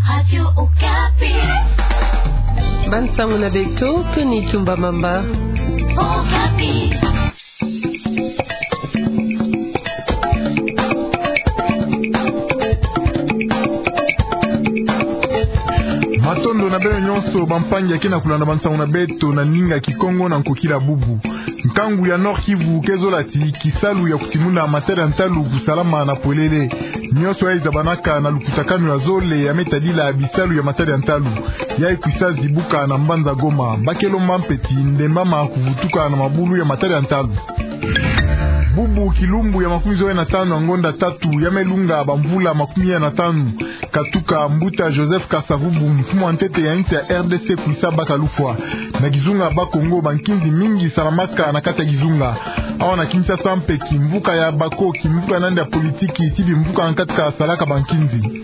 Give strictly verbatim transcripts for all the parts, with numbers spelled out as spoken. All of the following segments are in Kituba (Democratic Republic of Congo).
Radio Okapi. Bansango na beto, Tony Tumba Mamba. Okapi. Matondo na beno nyonso, bampangi ya ke na kulanda bansango na beto na ndinga Kikongo na nkokila bubu. Nkangu ya Nord-Kivu ke zola ti kisalu ya kutimuna matadi ya ntalu kusalama na polele. Nyonso ya izabanaka na lukutakanu ya zole ya me tadila bisalu ya matadi ya ntalu, ya ikwisa zibuka na mbanza Goma. Ba ke lomba mpe ti ndembama kuvutuka na mabulu ya matadi ya ntalu. Bubu kilumbu ya makumi zole na tanu ya ngonda tatu ya me lunga bamvula makumi ya na tanu, katuka mbuta Joseph Kasavubu, mfumu wa ntete ya insi ya R D C, kwisa baka lufwa. Na kizunga Bakongo, bankinzi mingi salamaka na kati ya kizunga. Awa na Kinshasa mpe, kimvuka ya bako, kimvuka na yandi ya politiki, ti bimvuka na kati ka salaka bankinzi.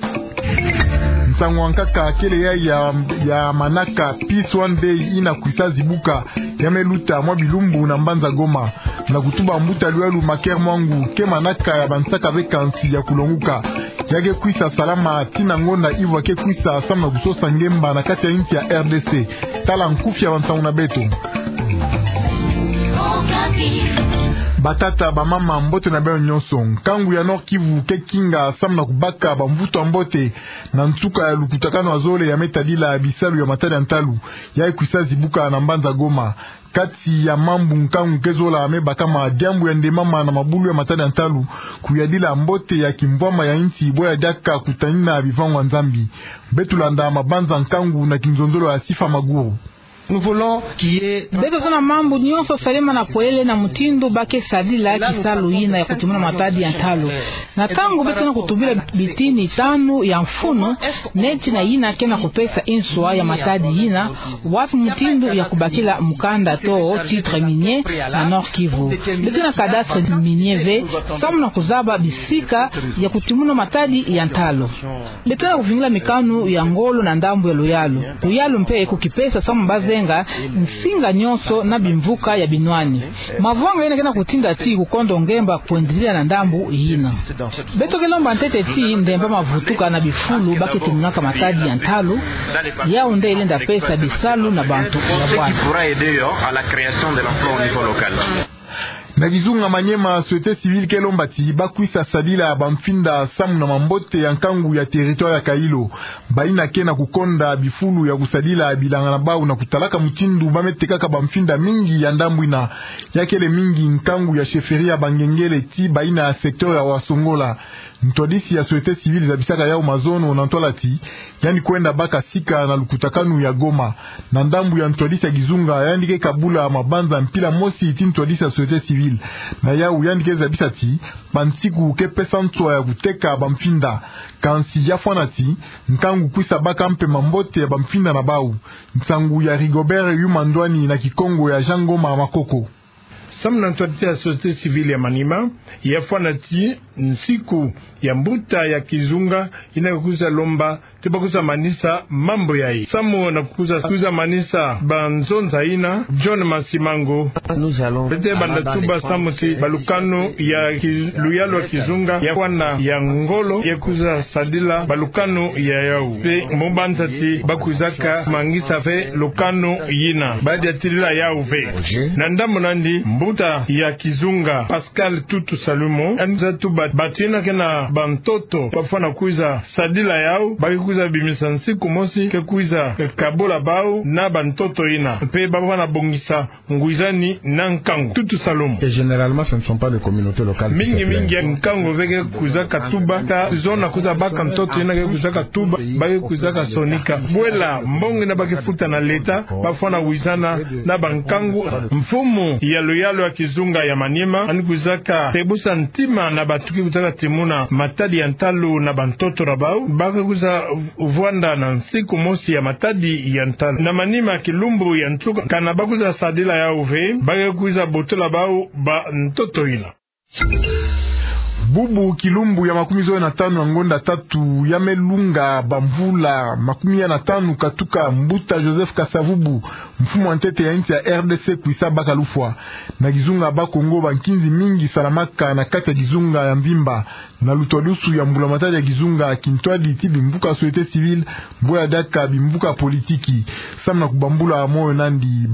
Nsangu ya nkaka kele ya, ya, ya manaka Peace One Day ina kwisa zibuka, ya me luta mwa bilumbu na mbanza Goma. Na kutuba mbuta luyalu Maker Mwangu, ke manaka ya bansaka ve kansi ya kulonguka. Ya ke kwisa salama tii na ngonda ivwa ke kwisa samu na kusosa ngemba na kati ya insi ya R D C. Tala nkufi ya bansangu na beto. Batata, bamama, mbote na beno nyonso. Nkangu ya Nord-Kivu ke kinga samu na kubaka bamvutu ya mbote na nsuka ya lukutakanu ya zole ya me tadila bisalu ya matadi ya ntalu, ya ikwisa zibuka na mbanza Goma. Kati ya mambu nkangu ke zola me bakama, diambu ya ndembama na mabulu ya matadi ya ntalu, kuyadila mbote ya kimvwama ya insi, bwe ya diaka kutanina bivangu ya Nzambi. Beto landa mabanza nkangu na kinzonzolo ya Sifa Maguru. Beto zona mambu nyonso salema na polele na mutindu ba ke sadila kisalu yina ya kutimuna matadi ya ntalu. Na ntangu beto na kutubila bitini tanu ya mfunu, neti na yina ke na kupesa inswa ya matadi yina, wapi mutindu ya kubakila mukanda to titre minier na Nord-Kivu. Beto na cadastre minier ve, samu na kuzaba bisika ya kutimuna matadi ya ntalu. Beto na kuvingila mikanu ya ngolo na ndambu ya luyalu. Luyalu mpe kukipesa samu ba zenga nsinga nyonso na bimvuka ya binwani. Mavanga yina ke na kutinda ti kukondo ngemba kwendilila na ndambu yina. Beto ke lomba ntete ti ndembama vutuka na bifulu ba ke timunaka matadi ya ntalu, yau nde lenda pesa bisalu na bantu ya bwana. Na kizunga Maniema, société civile ke lomba ti ba kwisa sadila bamfinda samu na mambote ya nkangu ya territoire ya Kailo. Bayina ke na kukonda bifulu ya kusadila bilanga na bau na kutalaka mutindu ba me tekaka bamfinda mingi ya ndambu yina. Ya kele mingi nkangu ya chefferie ya Bangengele tii bayina ya secteur ya Wasongola. Ntwadisi ya société civile zabisaka yau mazono na ntwala ti yandi kwenda baka sika na lukutakanu ya Goma. Na ndambu ya ntwadisi ya kizunga, yandi ke kabula mabanza mpila mosi tii ntwadisi ya société civile. Na yau yandi ke zabisa ti bansiku ke pesa nswa ya kuteka bamfinda. Kansi ya fwana ti nkangu kwisa baka mpe mambote ya bamfinda na bau. Nsangu ya Rigobert Yuma Ndwani na Kikongo ya Jean Ngoma Makoko. Samu na ntwadisi ya société civile ya Maniema, ya fwana ti nsiku ya mbuta ya kizunga yina ke kwiza lomba ti ba kwiza manisa mambu yayi. Samu na kwiza, kwiza manisa banzonza yina, John Masimango, beto banda tuba samu ti balukanu ya ki-, luyalu ya kizunga ya fwana ya ngolo ya kwiza sadila balukanu ya yau. Mpe mu banza ti ba kwizaka mangisa ve lukanu yina, ba diatilila yau ve. Na ndambu na yandi, mbuta ya kizunga Pascal Tutu Salumu, yandi kwiza tuba bantu yina ke na bantoto ba fwana kwiza sadila yau, ba ke kwiza bimisa nsiku mosi ke kwiza kabula bau na bantoto yina, mpe ba fwana bongisa ngwizani na nkangu. Tutu Salumu. Et généralement, ce ne sont pas les communautés locales qui se plaignent. Mingi mingi nkangu ve ke kwizaka tuba, ka zona kwiza baka ntoto yina ke kwizaka tuba, ba ke kwizaka sonika. Bwela mbongo yina ba ke futa na leta, ba fwana wizana na bankangu. Mfumu ya luyalu ya kizunga ya Maniema, yandi kwizaka tebusa ntima na bantu ke kwizaka timuna matadi ya ntalu na bantoto na bau, ba ke kwiza vwanda na nsiku mosi ya matadi ya ntalu. Na Maniema, kilumbu ya nsuka, kana ba kwiza sadila yau ve, ba ke kwiza botola bau bantoto yina. Bubu kilumbu ya makumi zole na tanu ya ngonda tatu ya me lunga bamvula makumi ya na tanu katuka mbuta Joseph Kasavubu, Mfumu ya ntete ya insi ya R D C kwisa baka lufwa. Na kizunga Bas-Congo, bankinzi mingi salamaka na kati ya kizunga ya mvimba. Na lutwadusu ya mbula-matadi ya kizunga, kintwadi ti bimvuka société civile, bula diaka bimvuka politiki. Samu na kubambula moyo nandi,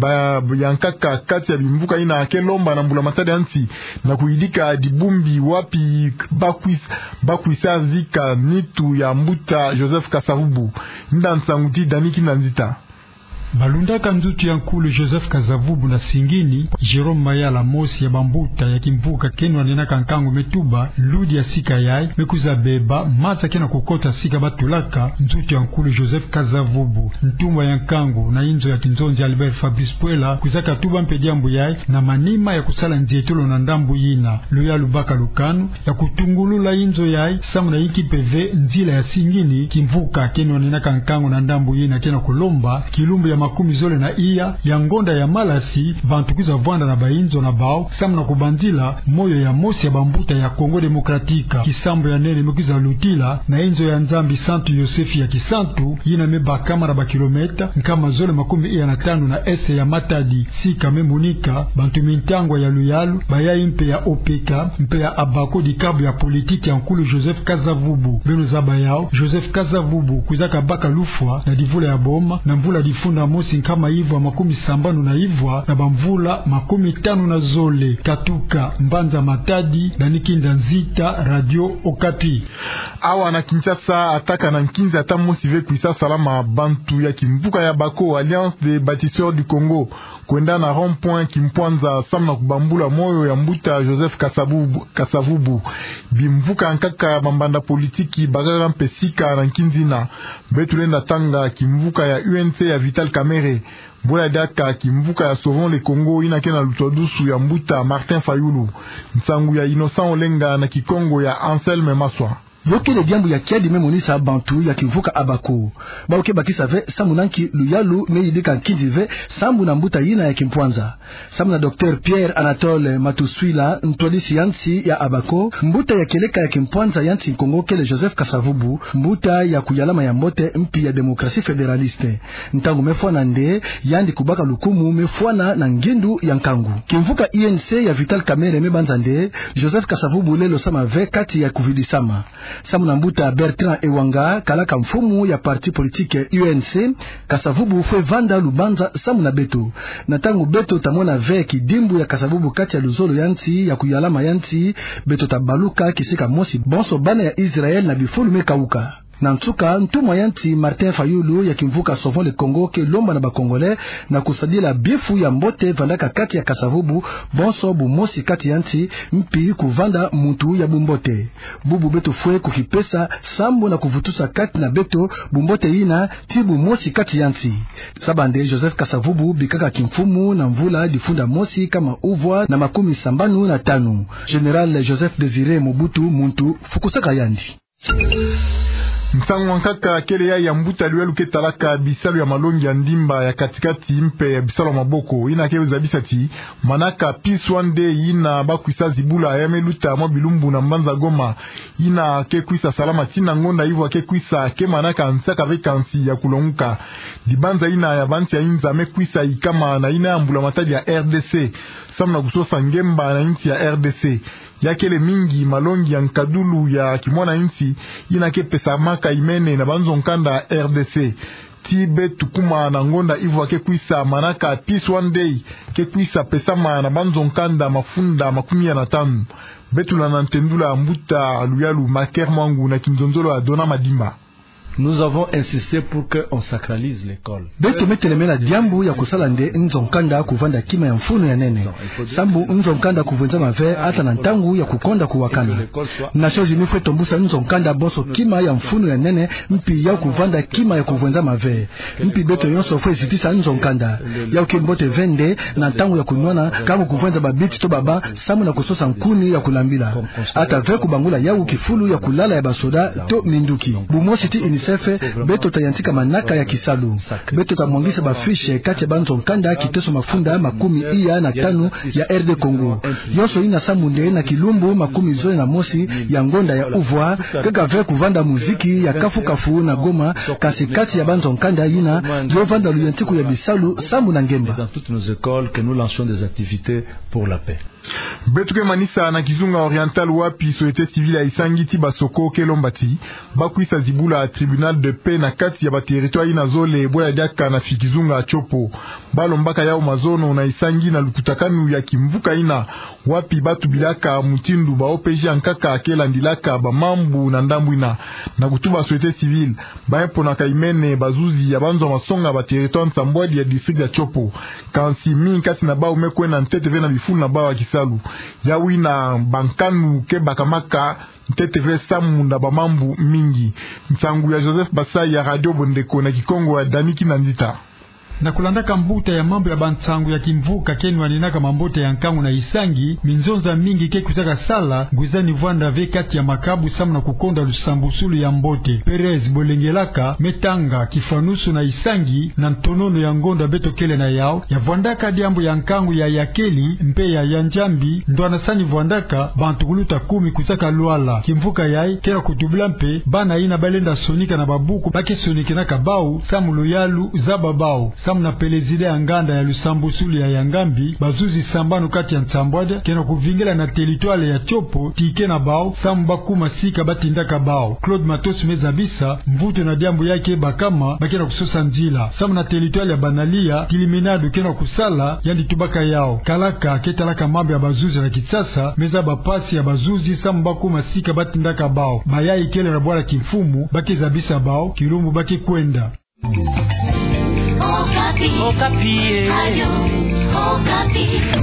bayankaka kati ya bimvuka ina ke lomba na mbula-matadi ya nsi na kuyidika dibumbi wapi bakwis-, bakwisa zika nitu ya mbuta Joseph Kasavubu. Nda nsangu ti Dani Kinda Nzita. Balundaka nzutu ya nkulu Joseph Kasavubu na singini, Jérôme Mayala, mosi ya bambuta ya kimvuka ke nwanenaka nkangu, me tuba ludi ya sika yayi, me kwiza beba maza ke na kukota sika batulaka nzutu ya nkulu Joseph Kasavubu. Ntumwa ya nkangu na inzo ya kinzonzi Albert Fabrice Puela kwizaka tuba mpe diambu yayi na manima ya kusala nzietolo na ndambu yina. Luyalu baka lukanu ya kutungulula inzo yayi, samu na yinki mpe ve nzila ya singini. Kimvuka ke nwanenaka nkangu na ndambu yina ke na kulomba kilumbu ya makumi zole na iya ya ngonda ya malasi, bantu kwiza vwanda na bainzo na bawu, samu na kubanzila moyo ya mosi ya bambuta ya Congo Démocratique. Kisambu ya nene me kwiza lutila na inzo ya Nzambi Santu Yosefi ya Kisantu, yina me bakama na bakilomètre nkama zole makumi iya na tanu na est ya Matadi. Sika me monika bantu mintangwa ya luyalu, bayayi mpe ya O P K, mpe ya Abako, dikabu ya politiki ya nkulu Joseph Kasavubu. Beno zaba yawu, Joseph Kasavubu kwizaka baka lufwa na divula ya boma, na mvula difunda mosi nkama ivwa makumi sambanu na ivwa na bamvula makumi tanu na zole. Katuka mbanza Matadi, Dani Kinda Nzita, Radio Okapi. Awa na Kinshasa, ataka na nkinzi ata mosi ve kwisa salama. Bantu ya kimvuka ya Abako, Alliance des Bâtisseurs du Congo, kwenda na rond-point Kimpwanza samu na kubambula moyo ya mbuta Joseph Kasavubu, Kasavubu. Bimvuka nkaka ya bambanda politiki bakaka mpe sika na nkinzi ina. Beto lenda tanga kimvuka ya U N C ya Vital Kamerhe. Bula diaka kimvuka ya Sauvons le Congo, yina ke na lutwadusu ya mbuta Martin Fayulu. Nsangu ya Innocent Olenga na Kikongo ya Anselme Maswa. Yo kele diambu ya kiadi me monisa bantu ya kimvuka Abako. Bawu ke bakisa ve samu na nki luyalu me yidika nkinzi ve sambu na mbuta yina ya Kimpwanza. Samu na Docteur Pierre Anatole Matuswila, ntwadisi ya nsi ya Abako, mbuta ya kieleka ya Kimpwanza ya nsi Kongo kele Joseph Kasavubu, mbuta ya kuyalama ya mbote mpi ya démocratie fédéraliste. Ntangu me fwana nde, yandi kubaka lukumu me fwana na ngindu ya nkangu. Kimvuka U N C ya Vital Kamerhe me banza nde, Joseph Kasavubu lelo sama ve kati ya kuvidisama. Samu na mbuta Bertrand Ewanga, kalaka mfumu ya parti politique U N C, Kasavubu fwe vanda lubanza samu na beto. Na ntangu beto ta mona ve kidimbu ya Kasavubu kati ya luzolo ya nsi ya kuyalama ya nsi, beto ta baluka kisika mosi bonso bana ya Israël na bifulu me kawuka. Na nsuka, ntumwa ya nsi Martin Fayulu ya kimvuka Sauvons le Congo ke lomba na ba Congolais na kusadila bifu ya mbote vandaka kati ya Kasavubu, bonso bumosi kati ya nsi, mpi kuvanda muntu ya bumbote. Bubu beto fwe kukipesa sambu na kuvutusa kati na beto bumbote yina ti bumosi kati ya nsi. Zaba nde Joseph Kasavubu bikaka kimfumu na mvula difunda mosi nkama uvwa na makumi sambanu na tanu. Général Joseph Désiré Mobutu muntu fukusaka yandi. Nsangu nkaka kele ya ya mbuta luyalu ke talaka bisalu ya malongi ya ndimba ya kati-kati mpe ya bisalu ya maboko, yina ke zabisa ti manaka Peace One Day yina bakwisa zibula ya me luta mwa bilumbu na mbanza Goma, yina ke kwisa salama tii na ngonda ivwa ke kwisa, ke manaka nsaka ve kansi ya kulonguka. Dibanza yina ya bansi ya inza me kwisa yikama na yina ya mbula-matadi ya R D C, samu na kusosa ngemba na insi ya R D C. Ya kele mingi malongi ya nkadulu ya kimwana insi, yina ke pesamaka imene na banzo-nkanda R D C. Tii beto kuma na ngonda ivwa ke kwisa, manaka Peace One Day, ke kwisa pesama na banzo-nkanda mafunda makumi ya na tanu. Beto landa ntendula mbuta luyalu Maker Mwangu na kinzonzolo ya Dona Madimba. Nous avons insisté pour que on sacralise l'école. Beto me telemena diambu ya kusala nde nzo-nkanda kuvanda kima ya mfunu ya nene. Sambu nzo-nkanda kuvwenzama ve ata na ntangu ya kukonda kuwakana. Nations Unies fwe tombusa nzo-nkanda bonso kima ya mfunu ya nene, mpi yawu kuvanda kima ya kuvwenzama ve. Mpi beto yonso fwe zitisa nzo-nkanda. Yawu ke mbote ve nde na ntangu ya kunwana, kangu kuvwenza babiti to baba, samu na kusosa nkuni ya kulambila. Ata ve kubangula yawu kifulu ya kulala ya basoda to minduki. Bumosi tii Sefe, beto tayantika manaka ya kisalu. Beto tamwangisa ba fiche kati ya banzo nkanda kiteso mafunda makumi iya na tanu ya R D Congo. Yonso ina sambu nde na kilumbu makumi zole na mosi ya ngonda ya uvwa, kaka ve kuvanda muziki ya kafu-kafu na Goma, kasi kati ya banzo nkanda ina, yo vanda luyantiku ya bisalu sambu na ngemba. Dans toutes nos écoles, que nous lancions des activités pour la paix. Beto ke manisa na kizunga oriental wapi société civile ya Isangi ti Basoko ke lomba ti bakwisa zibula tribunal de paix na kati ya ba territoire ina zole bwela diaka na fi kizunga Tshopo. Balombaka yau mazono na Isangi na lukutakanu ya kimvuka ina wapi batubilaka mutindu ba O P J ya nkaka ke landilaka ba mambu na ndambu ina. Na kutuba société civile, baye mpo na ka imene bazuzi ya banzo masonga ba territoire nsambwadi ya district ya Tshopo. Kansi mingi kati na bau me kwenda ntete ve na bifulu na bau ya kisalu. Yau ina bankanu ke bakamaka ntete ve samu na ba mambu mingi. Nsangu ya Joseph Basai ya Radio Bondeko na Kikongo ya Dani Kinandita. Na kulandaka mbuta ya mambu ya bansangu ya kimvuka ke nwaninaka mambote ya nkangu na Isangi, minzonza mingi ke kutaka sala, ngwizani vwanda ve kati ya makabu samu na kukonda lusambusulu ya mbote. Perez Bolengelaka me tanga kifanusu na Isangi na ntonono ya ngonda beto kele na yau, ya vwandaka diambu ya nkangu ya yakeli mpe ya ya Njambi, ndwana sani vwandaka bantu kuluta kumi kutaka lwala. Kimvuka yayi ke na kutubila mpe bana ina balenda sonika na babuku ba ke sonikinaka bau samu luyalu zaba bau. Samu na pelezida ya nganda ya lusambusulu ya Yangambi, bazuzi sambanu kati ya nsambwadi ke na kuvingila na territoire ya Tshopo tike na bau samu bakuma sika batindaka bau. Claude Matos me zabisa mvutu na diambu yayi ke bakama ba ke na kusosa nzila. Samu na territoire ya Banalia, Kiliminado ke na kusala, yandi tubaka yau. Kalaka ke talaka mambu ya bazuzi na Kinshasa me zaba mpasi ya bazuzi samu bakuma sika batindaka bau. Bayayi kele na bwala kimfumu ba ke zabisa bau kilumbu ba ke kwenda. Okapi. Okapi, eh. Radio Okapi.